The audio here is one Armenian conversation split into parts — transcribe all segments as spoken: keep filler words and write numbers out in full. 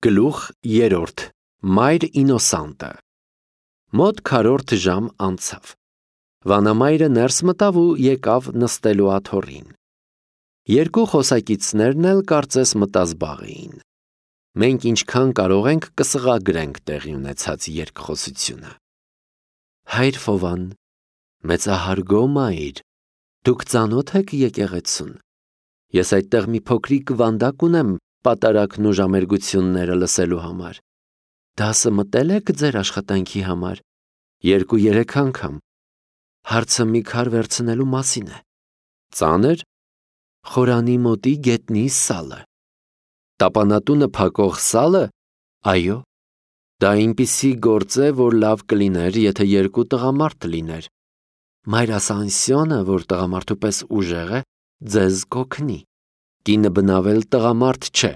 Գլուխ երրորդ Մայր Ինոսանտը Մոտ քառորդ ժամ անցավ։ Վանամայրը ներս մտավ ու եկավ նստելու աթոռին։ Երկու խոսակիցներն էլ կարծես մտազբաղ էին։ Մենք ինչքան կարող ենք կսղագրենք տեղի ունեցած երկխոսությունը։ Հայր Ֆովան, մեծահարգո մայր, դուք ծանոթ եք եկեղեցուն։ Ես այդտեղ մի փոքրիկ վանդակ ունեմ պատարագն ու ժամերգությունները լսելու համար։ Դասը մտել եք ձեր աշխատանքի համար։ Երկու-երեք անգամ։ Հարցը մի քար վերցնելու մասին է։ Ծանր։ Խորանի մոտի գետնի սալը։ Տապանատունը փակող սալը։ Այո։ Դա այնպիսի գործ է, որ լավ կլիներ, եթե երկու տղամարդ լիներ։ Մայր Ասանսիոնը, որ տղամարդու պես ուժեղ է, ձեզ կօգնի։ Կինը բնավել տղամարդ չէ։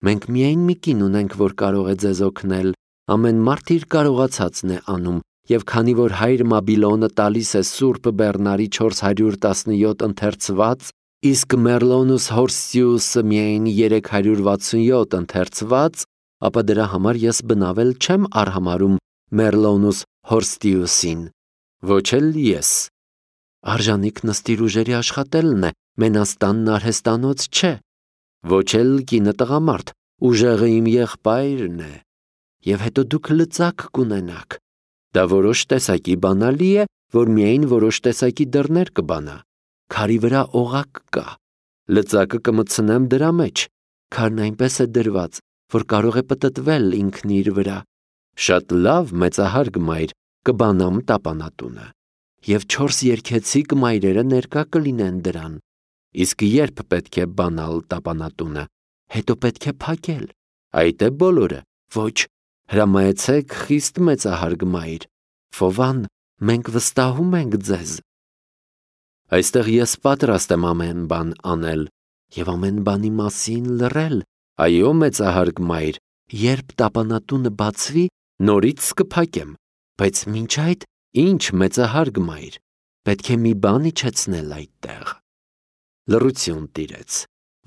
Մենք միայն մի կին ունենք, որ կարող է ձեզ օգնել։ Ամեն մարդ իր կարողացածն է անում, եւ քանի որ հայր Մաբիլոնը տալիս է Սուրբ Բեռնարի չորս հարյուր տասնյոթ ընթերցված, իսկ Մերլոնուս Հորստիուսը միայն երեք հարյուր վաթսունյոթ ընթերցված, ապա դրա համար ես բնավել չեմ արհամարում Մերլոնուս Հորստիուսին։ Ոչ էլ ես։ Արժանիք նստիր ուժերի աշխատելն է, մենաստանն արհեստանոց չէ։ Ոչ էլ կինը տղամարդ, ուժեղը իմ եղբայրն է։ Եվ հետո դուք լծակ կունենաք։ Դա որոշ տեսակի բանալի է, որ միայն որոշ տեսակի դռներ կբանա։ Քարի վրա օղակ կա։ Լծակը կմտցնեմ դրա մեջ։ Քարն այնպես է դրված, որ կարող է պտտվել ինքն իր վրա։ Շատ լավ, մեծահարգ մայր, կբանամ տապանատունը։ Եվ չորս երգեցիկ մայրերը ներկա կլինեն դրան։ Իսկ երբ պետք է բանալ տապանատունը, հետո պետք է փակել։ Այդ է բոլորը։ Ոչ, հրամայեցեք խիստ մեծահարգ մայր։ Ֆովան, մենք վստահում ենք ձեզ։ Այստեղ ես պատրաստ եմ ամեն բան անել եւ ամեն բանի մասին լռել։ Այո, մեծահարգ մայր, երբ տապանատունը բացվի, նորից կփակեմ։ Բայց մինչ այդ, ինչ մեծահարգ մայր, պետք է մի բան իջեցնել այդտեղ։ Լռություն տիրեց։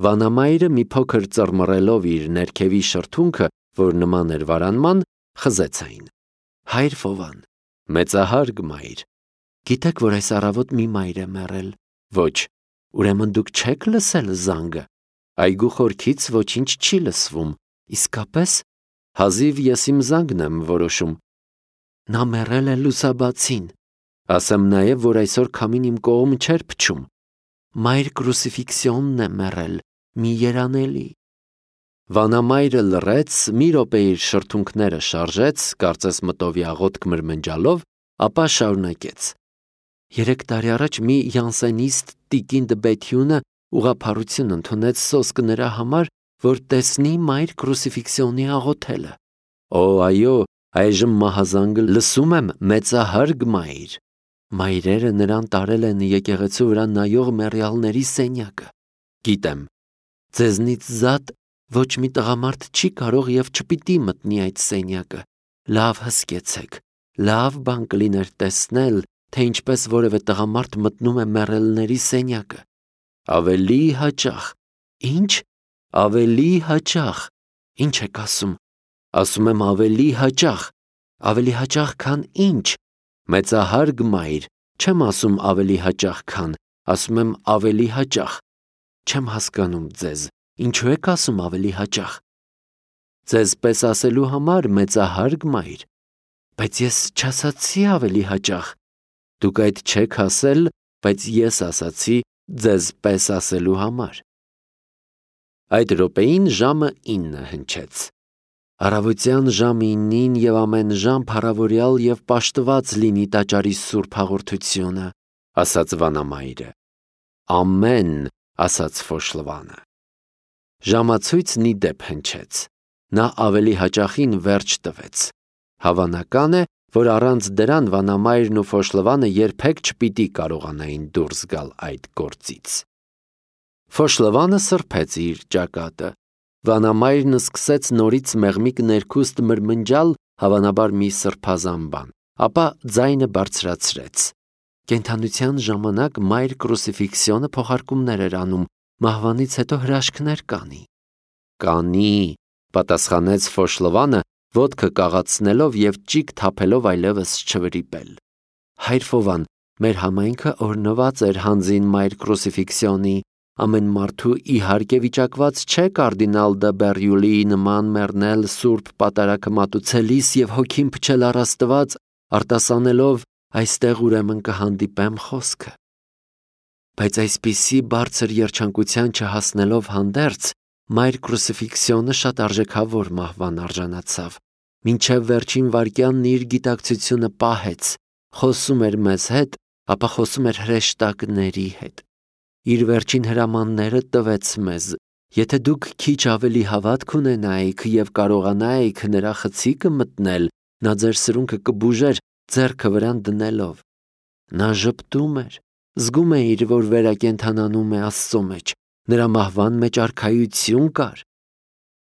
Վանամայրը մի փոքր ծռմռելով իր ներքևի շրթունքը, որ նման էր վարանման, խզեց այն։ Հայր Ֆովան, մեծահարգ մայր, գիտեք, որ այս առավոտ մի մայր է մեռել։ Ոչ, ուրեմն դուք չեք լսել զանգը։ Այգու խորքից ոչինչ չի լսվում։ Իսկապես, հազիվ ես իմ զանգն եմ որոշում։ Նա մեռել է լուսաբացին։ Ասեմ նաև, որ այսօր քամին իմ կողմ չէր փչում։ Մայր Կրուսիֆիքսիոնն է մեռել, մի երանելի։ Վանամայրը լռեց, մի րոպե իր շրթունքները շարժեց, կարծես մտովի աղոթք մրմնջալով, ապա շարունակեց։ Երեք տարի առաջ մի յանսենիստ տիկին Դբեթյունը ուղղափառություն ընդունեց սոսկ նրա համար, որ տեսնի մայր Կրուսիֆիքսիոնի աղոթելը։ Օ, այո, այժմ մահազանգը լսում եմ, մեծահարգ մայր։ Մայրերը նրան տարել են եկեղեցու վրա նայող մեռյալների սենյակը։ Գիտեմ, ձեզնից զատ ոչ մի տղամարդ չի կարող եւ չպիտի մտնի այդ սենյակը։ Լավ հսկեցեք, լավ բան կլիներ տեսնել, թե ինչպես որևէ տղամարդ մտնում է մեռելների սենյակը։ Ավելի հաճախ։ Ինչ։ Ավելի հաճախ։ Ինչ եք ասում։ Ասում եմ ավելի հաճախ։ Ավելի հաճախ, քան ինչ։ Մեծահարգ մայր, չեմ ասում ավելի հաճախ, քան, ասում եմ ավելի հաճախ։ Չեմ հասկանում ձեզ, ինչու եք ասում ավելի հաճախ։ Ձեզ պես ասելու համար, մեծահարգ մայր, բայց ես չասացի ավելի հաճախ։ Դուք այդ չեք ասել, բայց ես ասացի ձեզ պես ասելու համար։ Այդ րոպեին ժամը ինը հնչեց։ Առավոտյան ժամ իննին եւ ամեն ժամ փառավորյալ եւ պաշտված լինի տաճարի սուրբ հաղորդությունը, ասաց Վանամայրը։ Ամեն, ասաց Ֆոշլվանը։ Ժամացույցն ի դեպ հնչեց։ Նա ավելի հաճախին վերջ տվեց։ Հավանական է, որ առանց դրան Վանամայրն ու Ֆոշլվանը երբեք չպիտի կարողանային դուրս գալ այդ գործից։ Ֆոշլվանը սրբեց իր ճակատը։ Վանամայրն սկսեց նորից մեղմիկ ներքուստ մրմնջալ, հավանաբար մի սրբազան բան, ապա ձայնը բարձրացրեց։ Կենդանության ժամանակ մայր Կրուսիֆիքսիոնը փոխարկումներ էր անում, մահվանից հետո հրաշքներ կանի։ Կանի, պատասխանեց Ֆոշլովանը, ոտքը կաղացնելով եւ ճիգ թափելով այլևս չվրիպել։ Հայր Ֆովան, մեր համայնքը օրնված էր հանձին մայր կրուսիֆիքսիոնի, ամեն մարդու իհարկե վիճակված չէ կարդինալ դը Բերյուլի նման մեռնել սուրբ պատարագը մատուցելիս եւ հոգին փչել առ Աստված, արտասանելով այստեղ ուրեմն կհանդիպեմ խոսքը։ Բայց այսպիսի բարձր երջանկության չհասնելով հանդերձ, մայր կրուսիֆիքսիոնը շատ արժեքավոր մահվան արժանացավ, մինչև վերջին վայրկյանն իր գիտակցությունը պահեց, խոսում էր մեզ հետ, ապա խոսում էր հրեշտակների հետ։ Իր վերջին հրամանները տվեց մեզ, եթե դուք քիչ ավելի հավատք ունենայիք եւ կարողանայիք նրա խցիկը մտնել, նա ձեր սրունքը կբուժեր ձեռքը վրան դնելով։ Նա ժպտում էր, զգում է իր, որ վերակենդանանում է Աստծո մեջ, նրա մահվան մեջ արքայություն կար։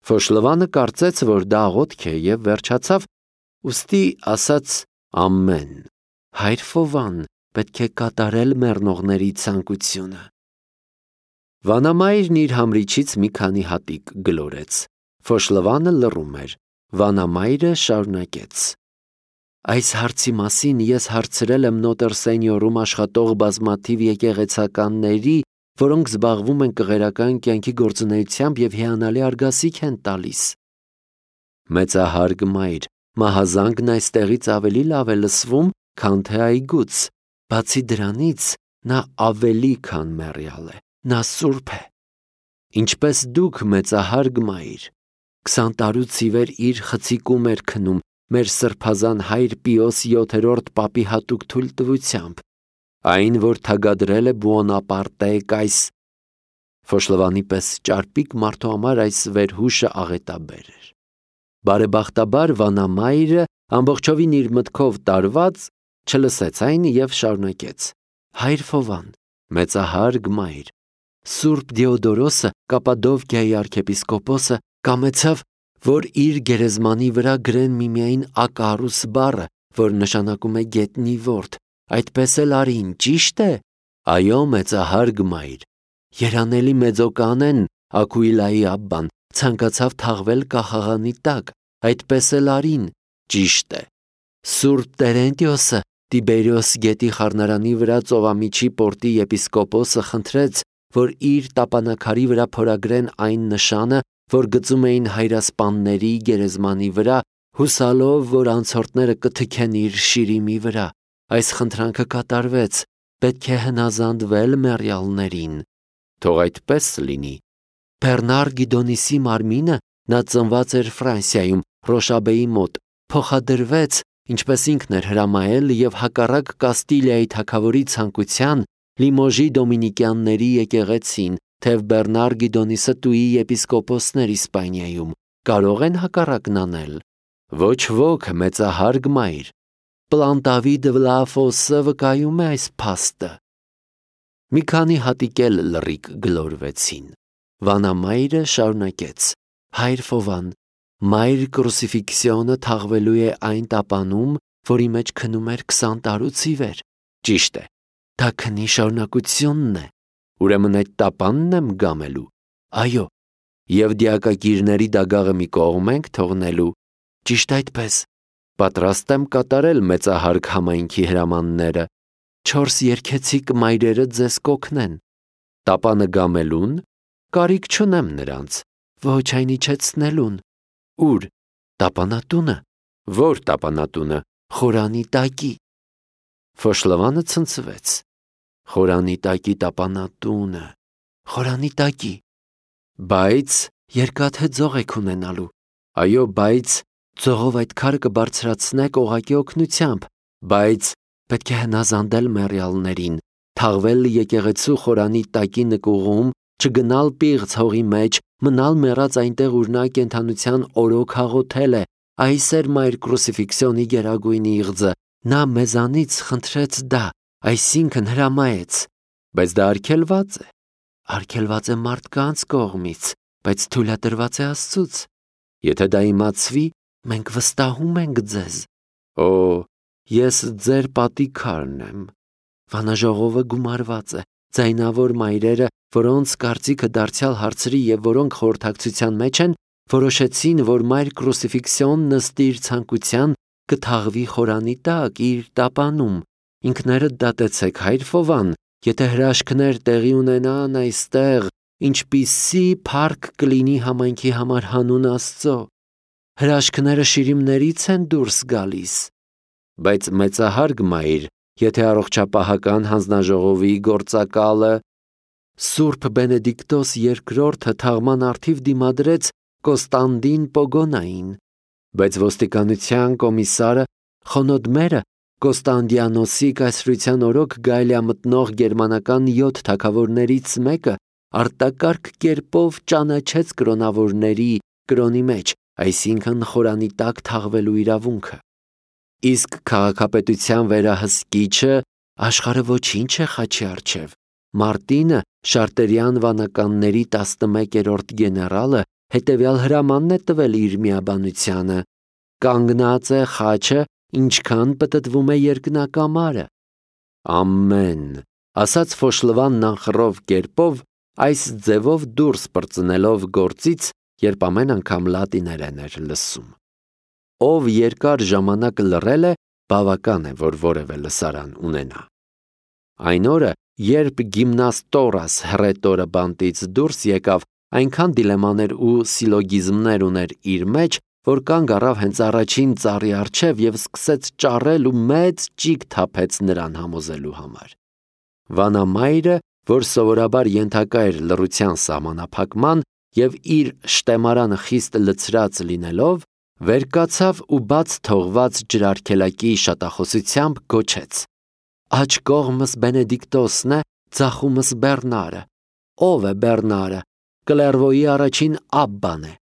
Ֆոշլովանը կարծեց, որ դա աղոթք է եւ վերջացավ, ուստի ասաց ամեն։ Հայր Ֆովան, պետք է կատարել մեռնողների ցանկությունը։ Վանամայրն իր համրիչից մի քանի հատիկ գլորեց։ Ֆոշլովանը լռում էր։ Վանամայրը շարունակեց. Այս հարցի մասին ես հարցրել եմ Նոտր Սենյորում աշխատող բազմաթիվ եկեղեցականների, որոնք զբաղվում են կղերական կյանքի գործունեությամբ եւ հիանալի արգասիք են տալիս։ Մեծահարգ մայր, մահազանգն այստեղից ավելի լավ է լսվում, քան թե այգուց։ Բացի դրանից, նա ավելի քան մեռյալ է, նա սուրբ է։ Ինչպես դուք, մեծահարգ մայր, քսան տարուց ի վեր իր խցիկում էր քնում մեր սրբազան հայր Պիոս յոթերորդ պապի հատուկ թույլտվությամբ, այն, որ թագադրել է Բուոնապարտե կայս։ Ֆոշլովանի պես ճարպիկ մարդու համար այս վերհուշը աղետաբեր էր։ Բարեբախտաբար Վանամայրը ամբողջովին իր մտքով տարված չլսեց այն եւ շարունակեց. Հայր Ֆովան, մեծահարգ մայր, Սուրբ Դիոդորոսը, Կապադովկիայի arczepiskopos-ը, կամեցավ, որ իր գերեզմանի վրա գրեն միմիայն Ակարուս բառը, որ նշանակում է գետնի ворդ, այդպես էլ արին, ճիշտ է։ Այո, մեծահարգ մայր, երանելի մեծոկանեն Ակուիլայի աբբան ցանկացավ թաղվել կախաղանի տակ, այդպես էլ արին, ճիշտ է։ Սուրբ Տերենտիոսը Տիբերիոս գետի խառնարանի վրա ծովամիջի պորտի եպիսկոպոսը խնդրեց, որ իր տապանակարի վրա փորագրեն այն նշանը, որ գծում էին հայրասպանների գերեզմանի վրա, հուսալով, որ անցորդները կթքեն իր շիրիմի վրա։ Այս խնդրանքը կատարվեց, պետք է հնազանդվել մեռյալներին։ Թող այդպես լինի։ Բեռնար Գիդոնիսի մարմինը, նա ծնված էր Ֆրանսիայում, Ռոշաբեի մոտ, փոխադրվեց, ինչպես ինքն էր հրամայել եւ հակառակ Կաստիլիայի թագավորի ցանկության Լիմոժի դոմինիկյանների եկեղեցին, թեև Բեռնար Գիդոնիսը տուի եպիսկոպոսներ Իսպանիայում, կարող են հակառակն անել։ Ոչ ոք, մեծահարգ մայր, Պլանտավի Դվլաֆոսը վկայում է այս փաստը։ Մի քանի հատիկ էլ լռիկ գլորվեցին։ Վանամայրը շարունակեց. Հայր Ֆովան, մայր կրուսիֆիքսիոնը թաղվելու է այն տապանում, որի մեջ քնում էր քսան տարուց ի վեր։ Ճիշտ է, դա քնի շարունակությունն է։ Ուրեմն այդ տապանն եմ գամելու։ Այո, եւ դիակագիրների դագաղը մի կողմ ենք թողնելու։ Ճիշտ այդպես։ Պատրաստ եմ կատարել մեծահարգ համայնքի հրամանները։ Չորս երկեցիկ մայրերը ձեզ կօգնեն։ Տապանը գամելուն կարիք չունեմ նրանց, ոչ այն իջեցնելուն։ Ուր, տապանատունը։ Որ տապանատունը։ Խորանի տակի։ Ֆոշլովանը ցնցվեց։ Խորանի տակի տապանատունը։ Խորանի տակի։ Բայց երկաթե ձող եք ունենալու։ Այո, բայց ձողով այդ քարը կբարձրացնեք օղակի օգնությամբ, բայց պետք է հնազանդել մեռյալներին, թաղվել եկեղեցու խորանի տակի նկուղում, չգնալ պիղծ հողի մեջ, մնալ մեռած այնտեղ ուր նա կենդանության օրոք հաղոթել է։ Այս էր մայր կրուսիֆիքսիոնի գերագույն իղձը։ Նա մեզանից խնդրեց դա, այսինքն հրամայեց, բայց դա արգելված է։ Արգելված է մարդկանց կողմից, բայց թույլատրված է Աստծուց։ Եթե դա իմացվի, մենք վստահում ենք ձեզ։ Օ, ես ձեր պատի քարն եմ։ Վանաժողովը գումարված է, ձայնավոր մայրերը, որոնց կարծիքը դարձյալ հարցրի եւ որոնք խորհրդակցության մեջ են, Որոշեցին, որ մայր կրուսիֆիքսիոն նստի իր ցանկության, կթաղվի խորանի տակ իր տապանում։ Ինքներդ դատեցեք, հայր Ֆովան, եթե հրաշքներ տեղի ունենան այստեղ, ինչպիսի փառք կլինի համայնքի համար հանուն Աստծո։ Հրաշքները շիրիմներից են դուրս գալիս։ Բայց մեծահարգ մայր, եթե առողջապահական հանձնաժողովի գործակալը Սուրբ Բենեդիկտոս երկրորդը թաղման առթիվ դիմադրեց Կոստանդին Պոգոնային, բայց ոստիկանության կոմիսարը Խոնոդմերը Կոստանդիանոսի կայսրության օրոք գայլամտնող գերմանական յոթ թագավորներից մեկը արտակարգ կերպով ճանաչեց կրոնավորների կրոնի մեջ, այսինքն խորանի տակ թաղվելու իրավունքը։ Իսկ քաղաքապետության վերահսկիչը աշխարհը ոչինչ է խաչի առջև։ Մարտինը, Շարտերյան վանականների տասնմեկերորդ գեներալը, հետևյալ հրամանն է տվել իր միաբանությանը. կանգնած է խաչը, ինչքան պտտվում է երկնակամարը։ Ամեն, ասաց Ֆոշլվանն անխռով կերպով, այս ձևով դուրս պրծնելով գործից, երբ ամեն անգամ լատիներեն էր լսում։ Ով երկար ժամանակ լռել է, բավական է, որ որևէ լսարան ունենա։ Այն օրը, երբ գիմնաստորաս հռետորը բանտից դուրս եկավ, այնքան դիլեմաներ ու սիլոգիզմներ ուներ իր մեջ, որ կանգ առավ հենց առաջին ծառի առջև և սկսեց ճառել ու մեծ ճիգ թափեց նրան համոզելու համար։ Վանամայրը, որ սովորաբար ենթակա էր լռության սահմանափակման և իր շտեմարանը խիստ լցրած լինելով, վեր կացավ ու բաց թողված ջրարգելակի շատախոսությամբ գոչեց. «Աջ կողմս Բենեդիկտոսն է, ձախումս Բեռնարը։ Ով է Բեռնարը։ Կլերվոյի առաջին աբբան է։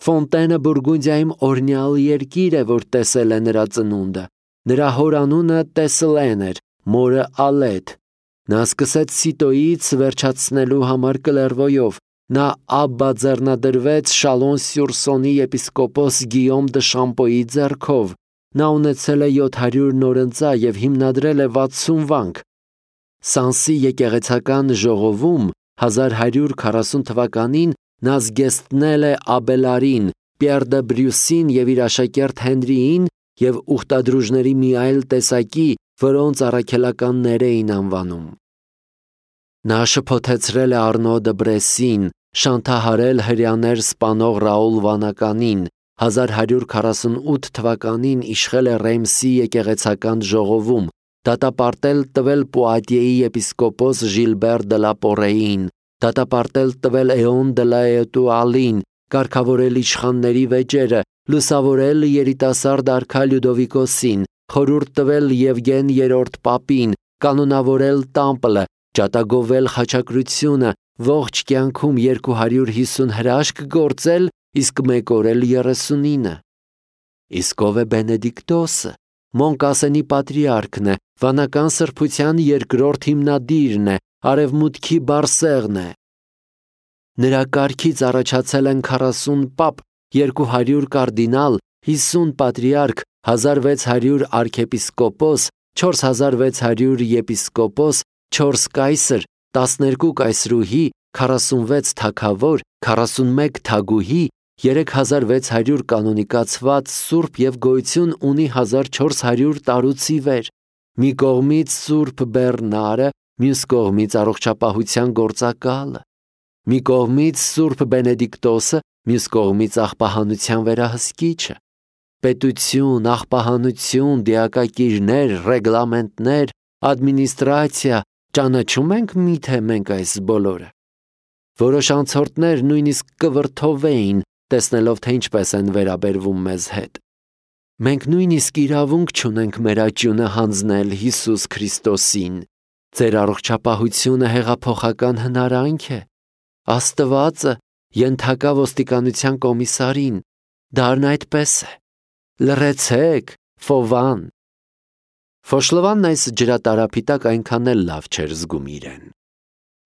Ֆոնտենը Բուրգունդիայում օրնյալ երկիր է, որ տեսել է նրա ծնունդը։ Նրա հոր անունը Տեսլեն էր, մորը Ալետ։ Նա սկսեց Սիտոյից վերջացնելու համար Կլերվոյով։ Նա աբբա ձեռնադրվեց Շալոն-Սյուր-Սոնի եպիսկոպոս Գիյոմ դը Շամպոյի ձեռքով։ Նա ունեցել է յոթ հարյուր նորընծա և հիմնադրել է վաթսուն վանք։ Սանսի եկեղեցական ժողովում հազար հարյուր քառասուն թվականին նա զգեստնել է Աբելարին, Պիեր դը Բրյուսին և իր աշակերտ Հենրիին և ուխտադրուժների մի այլ տեսակի, որոնց առաքելականներ էին անվանում։ Նա շփոթեցրել է Արնո դը Բրեսին, շանթահարել հրեաներ սպանող Ռաուլ Վանականին, հազար հարյուր քառասունութ թվականին իշխել է Ռեյմսի եկեղեցական ժողովում, դատապարտել տվել Պուատիեի եպիսկոպոս Ժիլբեր դը լա Պորեին, դատապարտել տվել Էոն դը լա Էտուալին, կարգավորել իշխանների վեճերը, լուսավորել երիտասարդ արքա Լյուդովիկոսին, խորհուրդ տվել Եվգեն երրորդ պապին, կանոնավորել Տամպլը, ջատագովել խաչակրությունը, ողջ կյանքում երկու հարյուր հիսուն հրաշք գործել, իսկ մեկ օր էլ երեսունինը։ Իսկ ով է Բենեդիկտոսը։ Մոնկասենի պատրիարքն է, վանական սրբության երկրորդ հիմնադիրն է, արևմուտքի Բարսեղն է։ Նրա կարգից առաջացել են քառասուն պապ, երկու հարյուր կարդինալ, հիսուն պատրիարք, հազար վեց հարյուր արքեպիսկոպոս, չորս հազար վեց հարյուր եպիսկոպոս, չորս կայսր, տասներկու կայսրուհի, քառասունվեց թագավոր, քառասունմեկ թագուհի, երեք հազար վեց հարյուր կանոնիկացված սուրբ և գոյություն ունի հազար չորս հարյուր տարուց ի վեր։ Մի կողմից Սուրբ Բեռնարը, մյուս կողմից առողջապահության գործակալը։ Մի կողմից Սուրբ Բենեդիկտոսը, մյուս կողմից աղբահանության վերահսկիչը։ Պետություն, աղբահանություն, դիակակիրներ, ռեգլամենտներ, ադմինիստրացիա, ճանաչում ենք միթե մենք այս բոլորը։ Որոշ անցորդներ նույնիսկ կվրդովեին, տեսնելով, թե ինչպես են վերաբերվում մեզ հետ։ Մենք նույնիսկ իրավունք չունենք մեր աճյունը հանձնել Հիսուս Քրիստոսին։ Ձեր առողջապահությունը հեղափոխական հնարանք է։ Աստվածը ենթակա ոստիկանության կոմիսարին, դառն այդպես է։ Լռեցեք, Ֆովան։ Ֆոշլվանն այս ջրատարափի տակ այնքան էլ լավ չէր զգում իրեն։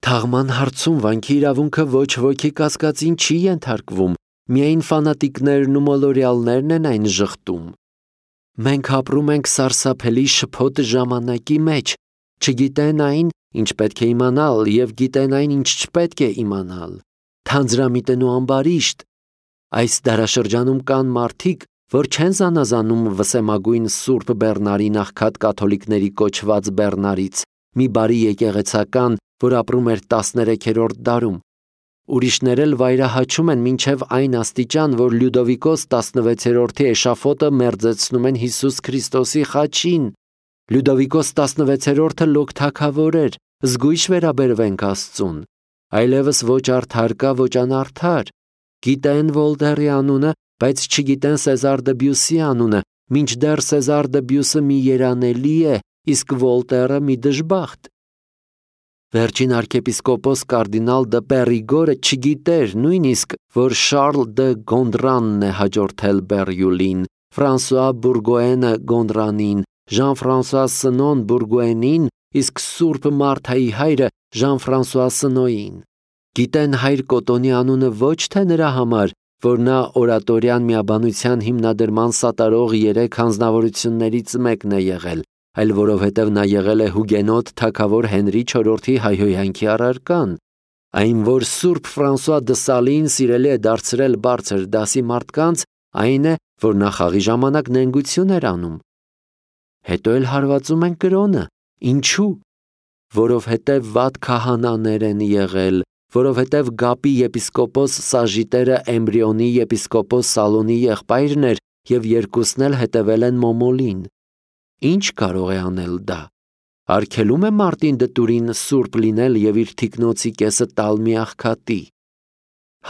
Թաղման հարցում վանքի իրավունքը ոչ ոքի կասկածին չի ենթարկվում, միայն ֆանատիկներն ու մոլորյալներն են այն ժխտում։ Մենք ապրում ենք սարսափելի շփոթ ժամանակի մեջ, չգիտեն այն, ինչ պետք է իմանալ, և գիտեն այն, ինչ չպետք է իմանալ։ Թանձրամիտն ու ամբարիշտ, Այս դարաշրջանում կան մարդիկ, որ չեն զանազանում վսեմագույն Սուրբ Բեռնարի նախքատ կաթոլիկների կոչված Բեռնարից, մի բարի եկեղեցական, որ ապրում էր տասներեքերորդ դարում։ Ուրիշներ էլ վայրահաչում են մինչև այն աստիճան, որ Լյուդովիկոս տասնվեցերորդի էշաֆոտը մերձեցնում են Հիսուս Քրիստոսի խաչին։ Լյուդովիկոս տասնվեցերորդը լոկ թագավոր էր, զգույշ վերաբերվենք Աստծուն։ Այլևս ոչ արդար կա, ոչ անարդար։ Գիտեն Վոլտերի անունը, բայց չգիտեն Սեզար դը Բյուսի անունը, մինչդեռ Սեզար դը Բյուսը մի երանելի է, իսկ Վոլտերը մի դժբախտ։ Վերջին arczepiskopos կարդինալ դը Պերիգորը չգիտեր նույնիսկ, որ Շարլ դը Գոնդրանն է հաջորդել Բերյուլին, Ֆրանսուଆ Բուրգոենը Գոնդրանին, Ժան-Ֆրանսուଆ Սնոն Բուրգոենին, իսկ Սուրբ Մարթայի հայրը Ժան-Ֆրանսուଆ Սնոյին։ Գիտեն հայր Կոտոնի անունը ոչ թե նրա համար, որ նա օրատորյան միաբանության հիմնադրման սատարող երեք հանձնավորություններից մեկն է եղել, այլ որովհետև նա եղել է հուգենոտ թագավոր Հենրի չորրորդի հայհոյանքի առարկան, այն որ Սուրբ Ֆրանսուଆ դը Սալին սիրելի է դարձրել բարձր դասի մարդկանց, այն է, որ նա խաղի ժամանակ նենգություն էր անում։ Հետո էլ հարվածում են կրոնը, ինչու՞։ Որովհետև վատ քահանաներ են եղել, որովհետև Գապի եպիսկոպոս Սաժիտերը Էմբրիոնի եպիսկոպոս Սալոնի եղբայրն էր և երկուսն էլ հետևել են Մոմոլին։ Ինչ կարող է անել դա։ Արգելում է Մարտին դտուրին սուրբ լինել և իր թիկնոցի կեսը տալ մի աղքատի։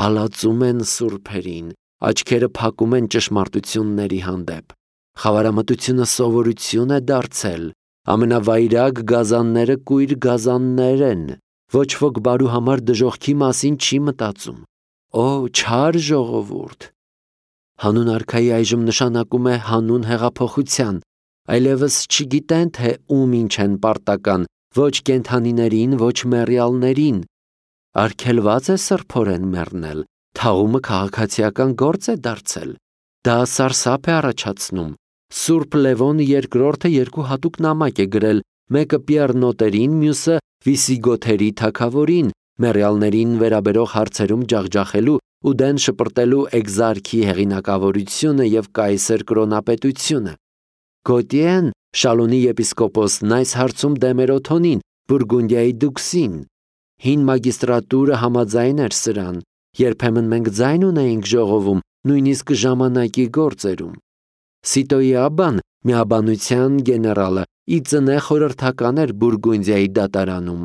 Հալածում են սուրբերին, աչքերը փակում են ճշմարտությունների հանդեպ։ Խավարամտությունը սովորություն է դարձել, ամենավայրագ գազանները կույր գազաններ են, ոչ ոք բարու համար դժոխքի մասին չի մտածում։ Օ, չար ժողովուրդ։ Հանուն արքայի այժմ նշանակում է հանուն հեղափոխության, այլևս չգիտեն, թե ում ինչ են պարտական, ոչ կենդանիներին, ոչ մեռյալներին։ Արգելված է սրբորեն մեռնել, թաղումը քաղաքացիական գործ է դարձել։ Դա սարսափ է առաջացնում։ Սուրբ Լևոն երկրորդը երկու հատուկ նամակ է գրել, մեկը Պիեռ Նոտերին, մյուսը Վիսիգոթերի թագավորին, մեռյալներին վերաբերող հարցերում ջախջախելու ու դեն շպրտելու Էգզարքի հեղինակավորությունը և կայսեր կրոնապետությունը։ Գոտիեն, Շալոնի եպիսկոպոսն այս հարցում դեմ էր Օթոնին, Բուրգունդիայի դուքսին։ Հին մագիստրատուրը համաձայն էր սրան, երբեմն մենք ձայն ունեինք ժողովում, նույնիսկ ժամանակի գործերում։ Սիտոյի աբան, միաբանության գեներալը, ի ծնե խորհրդական էր Բուրգունդիայի դատարանում։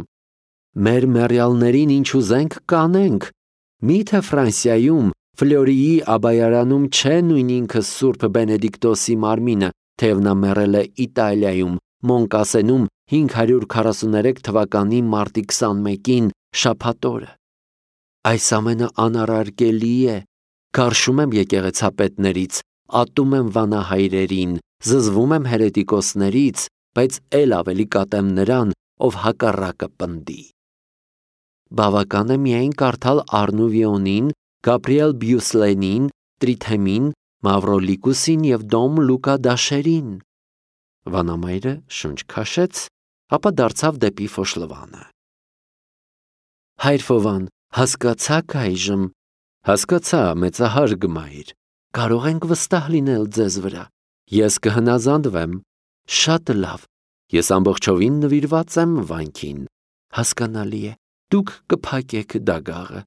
Մեր մեռյալներին ինչ ուզենք կանենք։ Միթե Ֆրանսիայում, Ֆլորիի աբայարանում չէ նույն ինքը Սուրբ Բենեդիկտոսի մարմինը, թեև նա մեռել է Իտալիայում, Մոնկասենում հինգ հարյուր քառասուներեք թվականի մարտի քսանմեկին շաբաթ օրը։ Այս ամենը անարարկելի է։ Գարշում եմ եկեղեցապետներից, ատում եմ վանահայրերին, զզվում եմ հերետիկոսներից, բայց էլ ավելի կատեմ նրան, ով հակառակը պնդի։ Բավական է միայն կարդալ Արնուվիոնին, Գաբրիել Բյուսլենին, Տրիթեմին, Մավրոլիկուսին և Դոմ Լուկա Դաշերին։ Վանամայրը շունչ քաշեց, ապա դարձավ դեպի Ֆոշլվանը։ Հայր Ֆովան, հասկացաք այժմ։ Հասկացա, մեծահարգ մայր։ Կարող ենք վստահ լինել ձեզ վրա։ Ես կհնազանդվեմ։ Շատ լավ։ Ես ամբողջովին նվիրված եմ վանքին։ Հասկանալի է։ Դուք կփակեք դագաղը։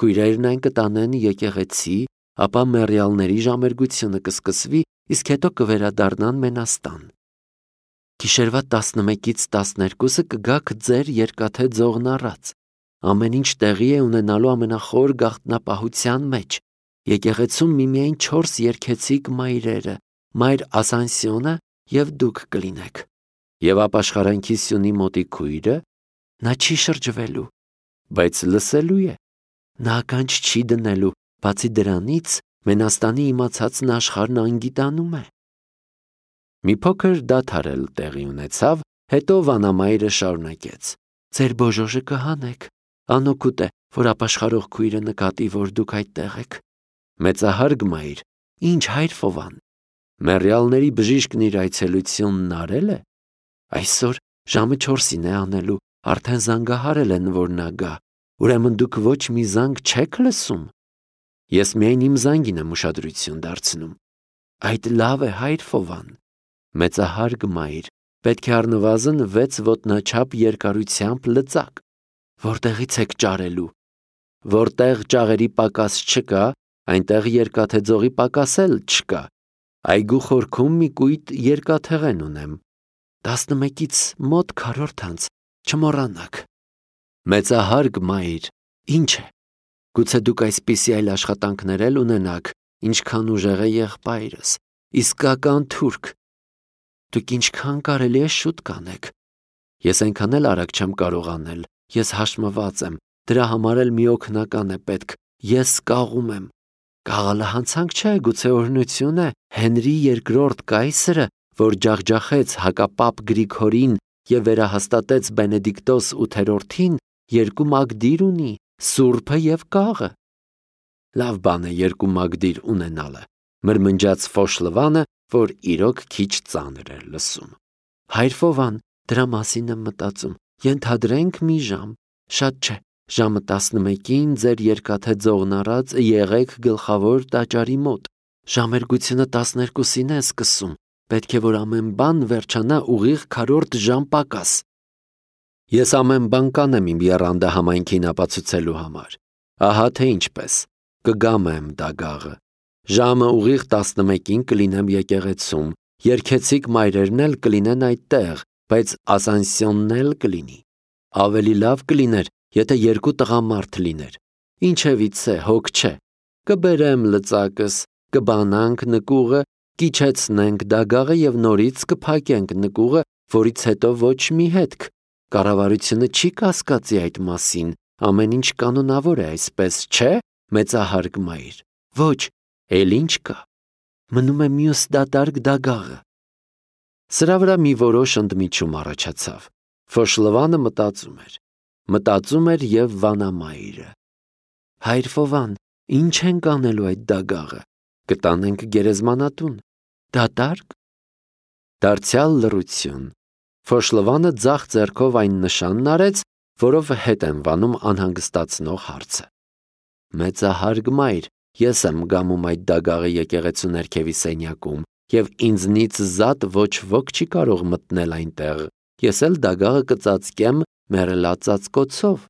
Քույրերն այն կտանեն եկեղեցի, ապա մեռյալների ժամերգությունը կսկսվի, իսկ հետո կվերադառնան Մենաստան։ Գիշերվա տասնմեկից տասներկուսը կգաք ձեր երկաթե ձողն առած։ Ամեն ինչ տեղի է ունենալու ամենախոր գաղտնապահության մեջ։ Եկեղեցում միմիայն չորս երգեցիկ մայրերը, մայր Ասանսիոնը և դուք կլինեք։ Եվ ապաշխարանքի սյունի մոտի քույրը, նա չի շրջվելու, բայց լսելու է։ Նա ականջ չի դնելու, բացի դրանից Մենաստանի իմացածն աշխարհն անգիտանում է։ Մի փոքր դադար էլ տեղի ունեցավ, հետո վանամայրը շարունակեց. Ձեր բոժոժը կհանեք։ Անօգուտ է, որ ապաշխարող քույրը նկատի, որ դուք այդտեղ եք։ Մեծահարգ մայր, ինչ հայր Ֆովան։ Մեռյալների բժիշկն իր այցելությունն արել է։ Այսօր ժամը չորսին է անելու, արդեն զանգահարել են, որ նա գա։ Ուրեմն դուք ոչ մի զանգ չեք լսում։ Ես միայն իմ զանգին եմ ուշադրություն դարձնում։ Այդ լավ է, հայր Ֆովան, մեծահարգ մայր, պետք է առնվազն վեց ոտնաչափ երկարությամբ լծակ։ Որտեղից եք ճարելու։ Որտեղ ճաղերի պակաս չկա, այնտեղ երկաթե ձողի պակաս էլ չկա։ Այգու խորքում մի կույտ երկաթեղեն ունեմ։ Տասնմեկից մոտ քառորդ անց, չմոռանաք։ Մեծահարգ մայր, ինչ է։ Գուցե դուք այսպիսի այլ աշխատանքներ էլ ունենաք, ինչքան ուժեղ է եղբայրս, իսկական թուրք։ Դուք ինչքան կարելի է շուտ կանեք։ Ես այնքան էլ արագ չեմ կարող անել, ես հաշմված եմ, դրա համար էլ մի օգնական է պետք, ես կաղում եմ։ Կաղալը հանցանք չէ, գուցե օրհնություն է, Հենրի երկրորդ կայսրը, որ ջախջախեց հակապապ Գրիգորին և վերահաստատեց Բենեդիկտոս ութերորդին, երկու մագդիր ունի, սուրբը և կաղը։ Լավ բան է երկու մագդիր ունենալը, մրմնջաց Ֆոշլվանը, որ իրոք քիչ ծանր էր լսում։ Հայր Ֆովան, դրա մասին եմ մտածում, ենթադրենք մի ժամ, շատ չէ, ժամը տասնմեկին ձեր երկաթե ձողն առած եղեք գլխավոր տաճարի մոտ, ժամերգությունը տասներկուսին է սկսում, պետք է որ ամեն բան վերջանա ուղիղ քառորդ ժամ պակաս։ Ես ամեն բան կանեմ իմ եռանդը համայնքին ապացուցելու համար, ահա թե ինչպես, կգամեմ դագաղը, ժամը ուղիղ տասնմեկին կլինեմ եկեղեցում, երգեցիկ մայրերն էլ կլինեն այդտեղ, բայց Ասանսիոնն էլ կլինի, ավելի լավ կլիներ, եթե երկու տղամարդ լիներ, ինչևից է, հոգ չէ, կբերեմ լծակս, կբանանք նկուղը, կիչեցնենք դագաղը և նորից կփակենք նկուղը, որից հետո ոչ մի հետք, կառավարությունը չի կասկածի այդ մասին, ամեն ինչ կանոնավոր է այսպես, չէ, մեծահարգ մայր, ոչ, էլ ինչ կա, մնում է մյուս դատարկ դագաղը։ Սրա վրա մի որոշ ընդմիջում առաջացավ, Ֆոշլվանը մտածում էր, մտածում էր և վանամայրը։ Հայր Ֆովան, ինչ ենք անելու այդ դագաղը, կտանենք գերեզմանատուն, դատարկ։ Դարձյալ լռություն, Ֆոշլվանը ձախ ձեռքով այն նշանն արեց, որով հետ են վանում անհանգստացնող հարցը։ Մեծահարգ մայր, ես եմ գամում այդ դագաղը եկեղեցու ներքևի սենյակում, և ինձնից զատ ոչ ոք չի կարող մտնել այնտեղ, ես էլ դագաղը կծածկեմ մեռելածածկոցով։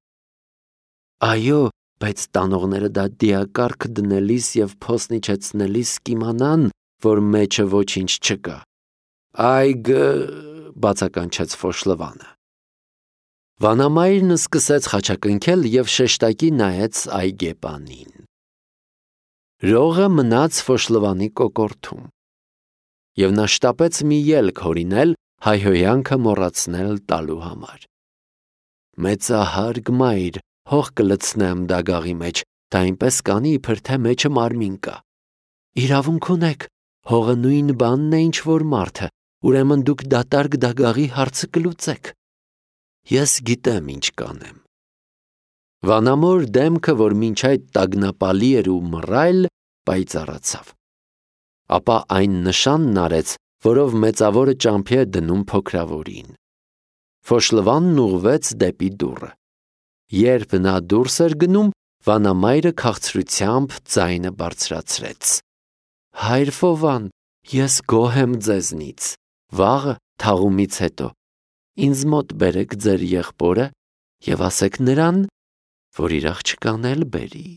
Այո, բայց տանողները դա դիակարգ դնելիս և փոսն իջեցնելիս կիմանան, որ մեջը ոչինչ չկա։ Այգ, բացականչեց Ֆոշլվանը։ Վանամայրն սկսեց խաչակնքել և շեշտակի նայեց այգեպանին։ Ռողը մնաց Ֆոշլվանի կոկորդում, և նա շտապեց մի ելք հորինել, հայհոյանքը մոռացնել տալու համար։ Մեծահարգ մայր, հող կլցնեմ դագաղի մեջ, դա այնպես կանի, իբր թե մեջը մարմին կա։ Իրավունք ունեք, հողը նույն բանն է, ինչ որ մարդը, ուրեմն դուք դատարկ դագաղի հարցը կլուծեք։ Ես գիտեմ ինչ կանեմ։ Վանամոր դեմքը, որ մինչ այդ տագնապալի էր ու մռայլ, պայծառացավ։ Ապա այն նշանն արեց, որով մեծավորը ճամփի է դնում փոքրավորին։ Ֆոշլվանն ուղղվեց դեպի դուռը։ Երբ նա դուրս էր գնում, վանամայրը քաղցրությամբ ձայնը բարձրացրեց։ Հայր Ֆովան, ես գոհ եմ ձեզնից, վաղը թաղումից հետո, ինձ մոտ բերեք ձեր եղբորը և ասեք նրան, որ իր աղջկան էլ բերի։